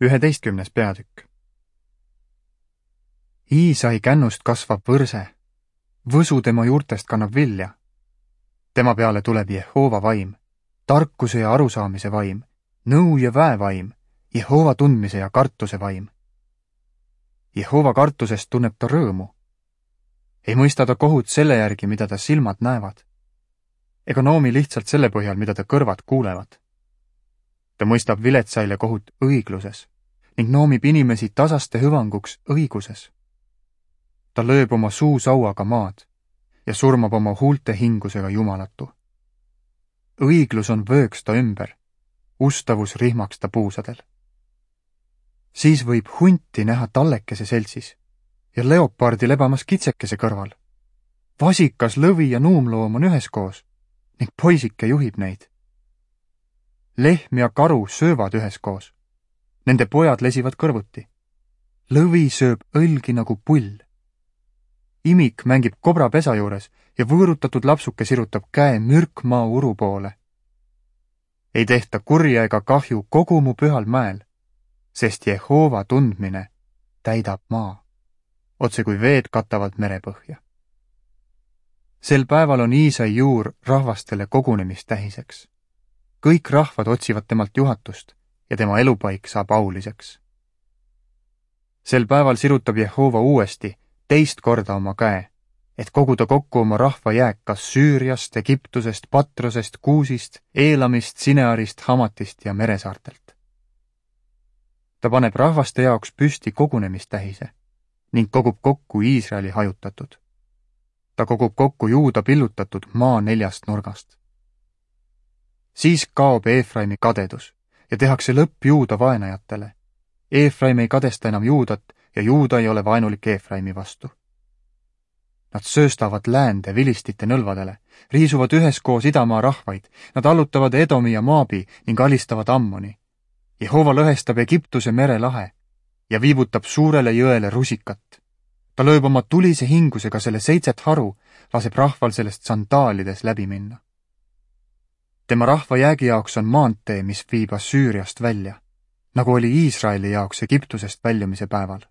11. peatükk. Iisai kännust kasvab võrse, võsu tema juurtest kannab vilja. Tema peale tuleb Jehova vaim, tarkuse ja arusaamise vaim, nõu ja väevaim, Jehova tundmise ja kartuse vaim. Jehova kartusest tunneb ta rõõmu. Ei mõista ta kohut selle järgi, mida ta silmad näevad, ega noomi lihtsalt selle põhjal, mida ta kõrvad kuulevad. Ta mõistab viletsaile kohut õigluses ning noomib inimesi tasaste hüvanguks õiguses. Ta lööb oma suusauaga maad ja surmab oma huulte hingusega jumalatu. Õiglus on vööks ta ümber, ustavus rihmaks ta puusadel. Siis võib hunti näha tallekese seltsis ja leopardi lebamas kitsekese kõrval. Vasikas, lõvi ja nuumloom on üheskoos ning poisike juhib neid. Lehm ja karu söövad üheskoos. Nende pojad lesivad kõrvuti. Lõvi sööb õlgi nagu pull. Imik mängib kobra pesa juures ja võõrutatud lapsuke sirutab käe mürkmaa uru poole. Ei tehta kurja ega kahju kogu mu pühal mäel, sest Jehova tundmine täidab maa, otse kui veed katavad merepõhja. Sel päeval on Iisai juur rahvastele kogunemistähiseks. Kõik rahvad otsivad temalt juhatust ja tema elupaik saab auliseks. Sel päeval sirutab Jehova uuesti teist korda oma käe, et koguda kokku oma rahva jääk kas Süüriast, Egiptusest, Patrosest, Kuusist, Eelamist, Sinearist, Hamatist ja meresaartelt. Ta paneb rahvaste jaoks püsti kogunemistähise ning kogub kokku Iisraeli hajutatud. Ta kogub kokku Juuda pillutatud maa 4 nurgast. Siis kaob Eefraimi kadedus ja tehakse lõpp Juuda vaenajatele. Eefraim ei kadesta enam Juudat ja Juuda ei ole vaenulik Eefraimi vastu. Nad sööstavad läände vilistite nõlvadele, riisuvad üheskoos idamaa rahvaid, nad allutavad Edomi ja Maabi ning alistavad Ammoni. Jehova lõhestab Egiptuse merelahe ja viibutab suurele jõele rusikat. Ta lööb oma tulise hingusega selle 7 haru, laseb rahval sellest sandaalides läbi minna. Tema rahva jäägi jaoks on maantee, mis viib Assüüriast välja, nagu oli Iisraeli jaoks Egiptusest väljumise päeval.